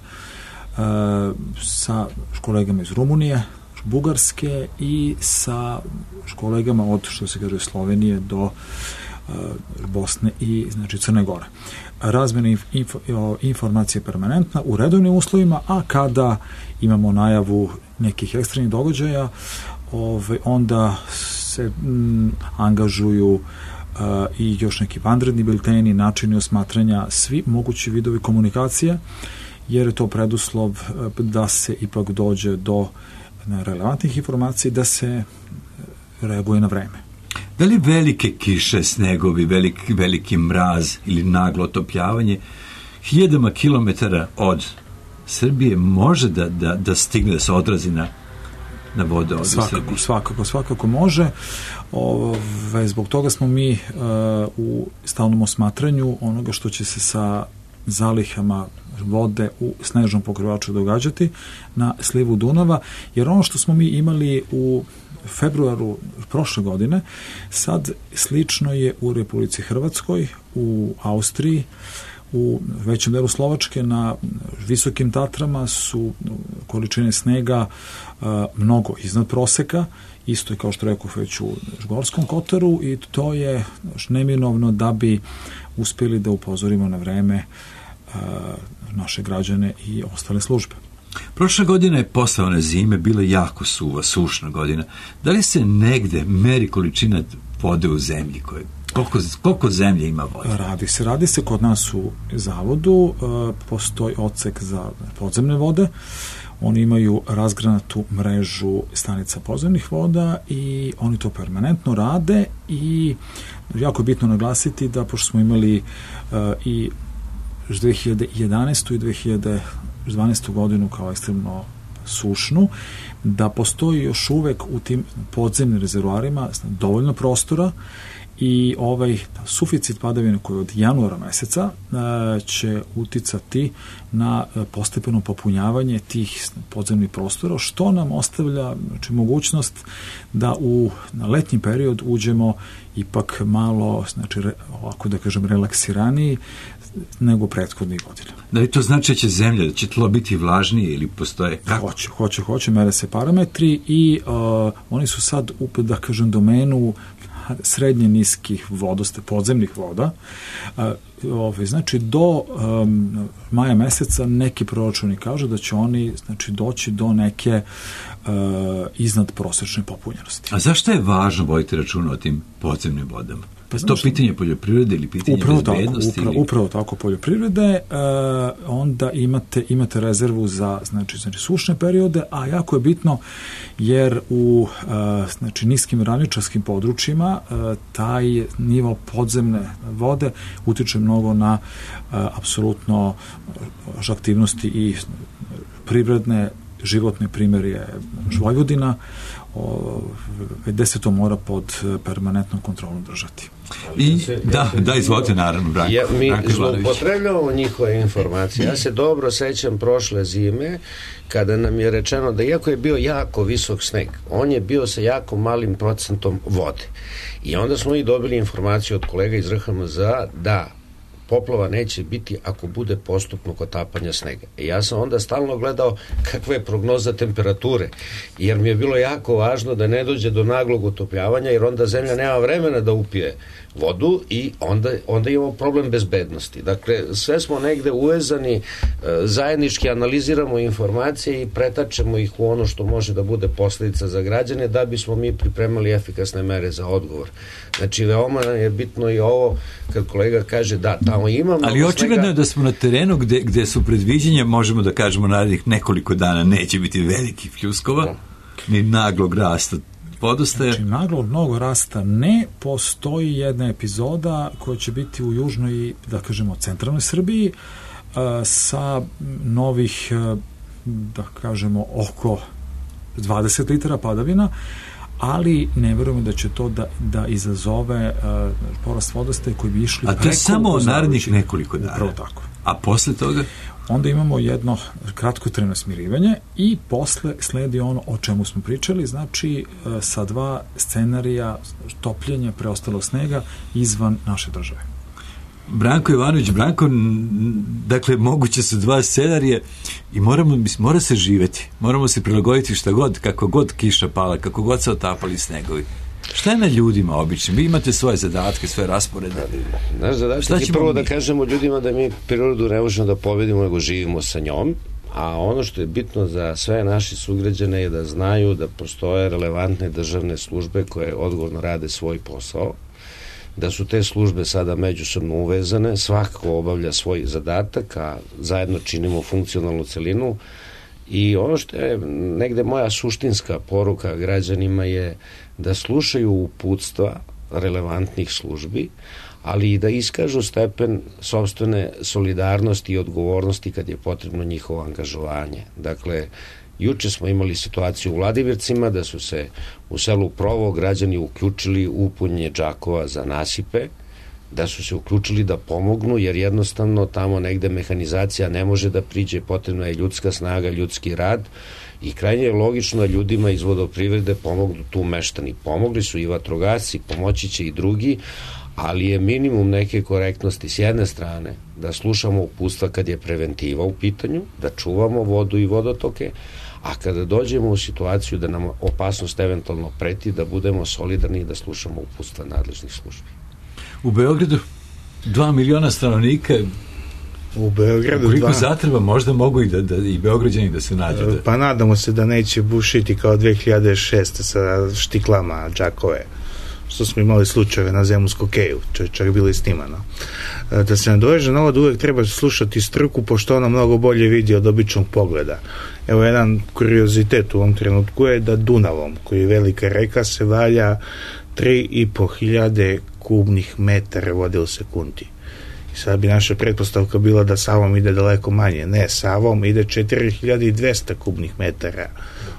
sa kolegama iz Rumunije, Bugarske i sa kolegama od, što se kaže, Slovenije do Bosne i, znači, Crne Gore. Razmjena informacija je permanentna u redovnim uslovima, a kada imamo najavu nekih ekstremnih događaja, onda se angažuju i još neki vanredni bilteni, načini osmatranja, svi mogući vidovi komunikacije, jer je to preduslov da se ipak dođe do relevantnih informacija, da se reaguje na vreme. Da li velike kiše, snegovi, veliki mraz ili naglo otopljavanje 1000 kilometara od Srbije može da stigne, da se odrazi na vode od Srbije? Svakako može. Zbog toga smo mi u stalnom osmatranju onoga što će se sa zalihama vode u snežnom pokrivaču događati na slivu Dunava, jer ono što smo mi imali u februaru prošle godine, sad slično je u Republici Hrvatskoj, u Austriji, u većem delu Slovačke, na visokim Tatrama su količine snega mnogo iznad proseka, isto je kao što rekao već u Gorskom Kotaru, i to je neminovno da bi uspjeli da upozorimo na vreme naše građane i ostale službe. Prošle godine je posle one zime bila jako suva, sušna godina. Da li se negde meri količina vode u zemlji? Koliko zemlje ima vode? Radi se kod nas u zavodu, postoji odsek za podzemne vode. Oni imaju razgranatu mrežu stanica podzemnih voda i oni to permanentno rade, i jako je bitno naglasiti da, pošto smo imali i 2011. i 2012. godinu kao ekstremno sušnu, da postoji još uvek u tim podzemnim rezervoarima dovoljno prostora, i ovaj suficit padavina koji od januara meseca će uticati na postepeno popunjavanje tih podzemnih prostora, što nam ostavlja, znači, mogućnost da na letnji period uđemo ipak malo, znači, ovako da kažem, relaksiraniji nego prethodnih godina. Da li to znači da će zemlja, da će tlo biti vlažnije ili postoje? Kako? Hoće, mere se parametri i oni su sad u, da kažem, domenu srednje niskih vodoste, podzemnih voda. Znači, do maja meseca neki proračuni kažu da će oni, znači, doći do neke iznad prosečne popunjenosti. A zašto je važno voditi računa o tim podzemnim vodama? Pa to pitanje poljoprivrede ili pitanje bezbednosti? Upravo tako, poljoprivrede, onda imate rezervu za, znači sušne periode, a jako je bitno jer u, znači, niskim ravničarskim područjima taj nivo podzemne vode utiče mnogo na apsolutno aktivnosti i privredne, životni primer je Vojvodina, gde se to mora pod permanentnom kontrolom držati. I da, izvolite, naravno, Branko. Mi zloupotrebljavamo njihove informacije. Ja se dobro sećam prošle zime kada nam je rečeno da iako je bio jako visok sneg, on je bio sa jako malim procentom vode. I onda smo i dobili informaciju od kolega iz RHMZ da poplava neće biti ako bude postupnog otapanja snega. Ja sam onda stalno gledao kakva je prognoza temperature, jer mi je bilo jako važno da ne dođe do naglog otopljavanja, jer onda zemlja nema vremena da upije vodu i onda imamo problem bezbednosti. Dakle, sve smo negde uvezani, zajednički analiziramo informacije i pretačemo ih u ono što može da bude posledica za građane, da bismo mi pripremali efikasne mere za odgovor. Znači, veoma je bitno i ovo, kad kolega kaže da, tamo ima... Ali očigledno je da smo na terenu gde su predviđenja, možemo da kažemo, narednih nekoliko dana neće biti velikih pljuskova, ni naglog rasta vodostaja. Znači, naglog mnogo rasta ne postoji jedna epizoda koja će biti u južnoj, da kažemo, centralnoj Srbiji sa novih, da kažemo, oko 20 litara padavina, ali ne verujem da će to da izazove porast vodostaja koji bi išli preko... A to je samo narednih nekoliko dana. Upravo tako. A posle toga? Onda imamo jedno kratkotrajno smirivanje i posle sledi ono o čemu smo pričali, znači sa dva scenarija topljenja preostalog snega izvan naše države. Branko Jovanović, dakle, moguće su dva scenarije i mora se živeti. Moramo se prilagoditi šta god, kako god kiša pala, kako god se otapali snegovi. Šta je na ljudima običnim? Vi imate svoje zadatke, svoje rasporede. Naš zadatak je prvo da kažemo ljudima da mi prirodu ne možemo da pobedimo, nego živimo sa njom, a ono što je bitno za sve naše sugrađane je da znaju da postoje relevantne državne službe koje odgovorno rade svoj posao, da su te službe sada međusobno uvezane, svako obavlja svoj zadatak, a zajedno činimo funkcionalnu celinu. I ono što je negde moja suštinska poruka građanima je da slušaju uputstva relevantnih službi, ali i da iskažu stepen sopstvene solidarnosti i odgovornosti kad je potrebno njihovo angažovanje. Dakle, juče smo imali situaciju u Vladimircima da su se u selu Provo građani uključili u punjenje džakova za nasipe, da su se uključili da pomognu, jer jednostavno tamo negde mehanizacija ne može da priđe, potrebna je ljudska snaga, ljudski rad i krajnje je logično da ljudima iz vodoprivrede pomognu tu meštani. Pomogli su i vatrogasci, pomoći će i drugi, ali je minimum neke korektnosti s jedne strane da slušamo uputstva kad je preventiva u pitanju, da čuvamo vodu i vodotoke, a kada dođemo u situaciju da nam opasnost eventualno preti, da budemo solidarni i da slušamo uputstva nadležnih službi. U Beogradu 2 miliona stanovnika, u Beogradu koliko zatreba, možda mogu i Beograđani da se nađu. Pa nadamo se da neće bušiti kao 2006. sa štiklama džakove, što smo imali slučajeve na Zemunskog keju, čak bilo i snimano. Da se nadoveže na ovo, da uvek treba slušati struku, pošto ona mnogo bolje vidi od običnog pogleda. Evo, jedan kuriozitet u ovom trenutku je da Dunavom, koji je velika reka, se valja 3.500 kubnih metara vode u sekundi. I sad bi naša pretpostavka bila da Savom ide daleko manje. Ne, Savom ide 4.200 kubnih metara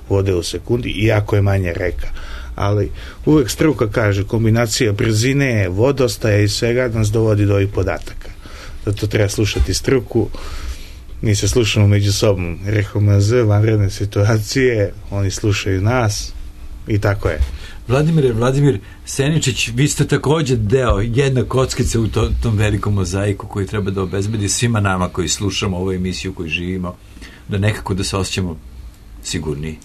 vode u sekundi, iako je manje reka. Ali uvek struka kaže, kombinacija brzine, vodostaja i svega nas dovodi do ovih podataka. Zato treba slušati struku, mi se slušamo među sobom. RHMZ, vanredne situacije, oni slušaju nas i tako je. Vladimir Seničić, vi ste takođe deo, jedna kockica u tom velikom mozaiku koji treba da obezbedi svima nama koji slušamo ovu emisiju, koji živimo, da nekako da se osjećamo sigurniji.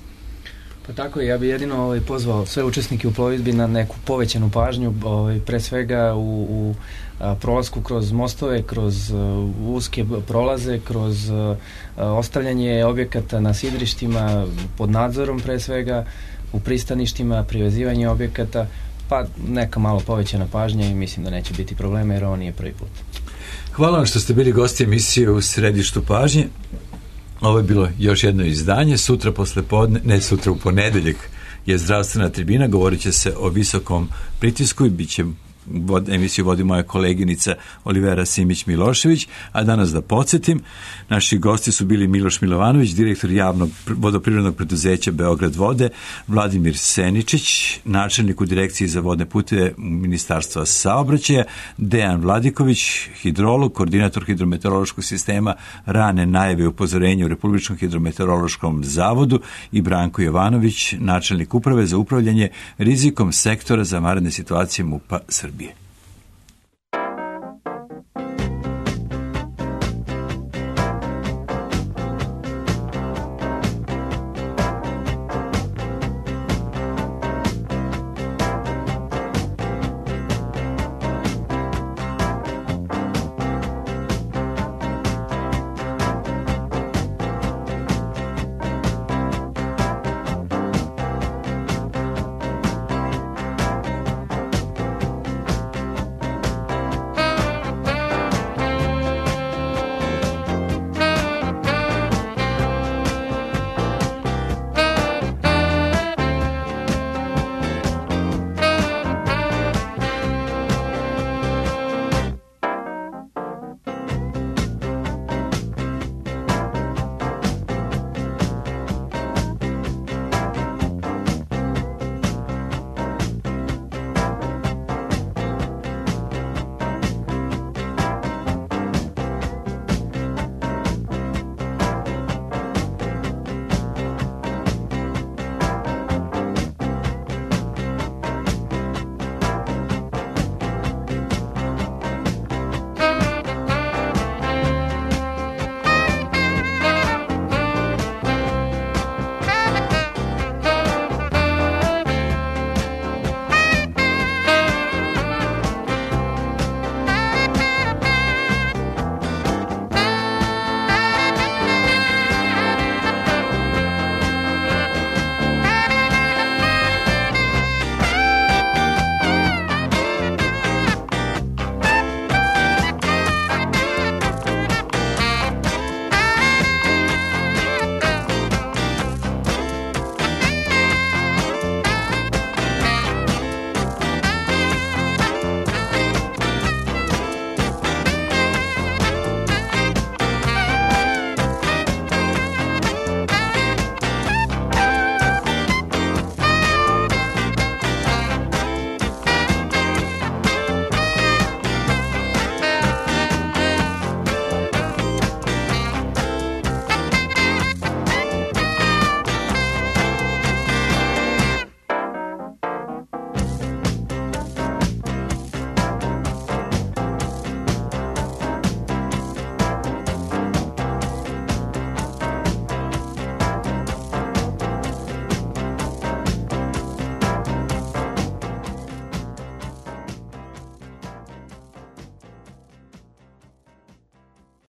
Pa tako je, ja bi jedino pozvao sve učesnike u plovidbi na neku povećanu pažnju, pre svega u prolasku kroz mostove, kroz uske prolaze, kroz ostavljanje objekata na sidrištima pod nadzorom pre svega, u pristaništima, privezivanje objekata, pa neka malo povećana pažnja i mislim da neće biti problema jer ovo nije prvi put. Hvala vam što ste bili gosti emisije u Središtu pažnje. Ovo je bilo još jedno izdanje. Sutra u ponedeljak je zdravstvena tribina, govorit će se o visokom pritisku i bit će emisiju vodi moja koleginica Olivera Simić-Milošević, a danas da podsjetim, naši gosti su bili Miloš Milovanović, direktor javnog vodoprivrednog preduzeća Beograd vode, Vladimir Seničić, načelnik u direkciji za vodne puteve Ministarstva saobraćaja, Dejan Vladiković, hidrolog, koordinator hidrometeorološkog sistema rane najave upozorenja u Republičkom hidrometeorološkom zavodu i Branko Jovanović, načelnik uprave za upravljanje rizikom sektora za vanredne situacije MUP-a Srbije.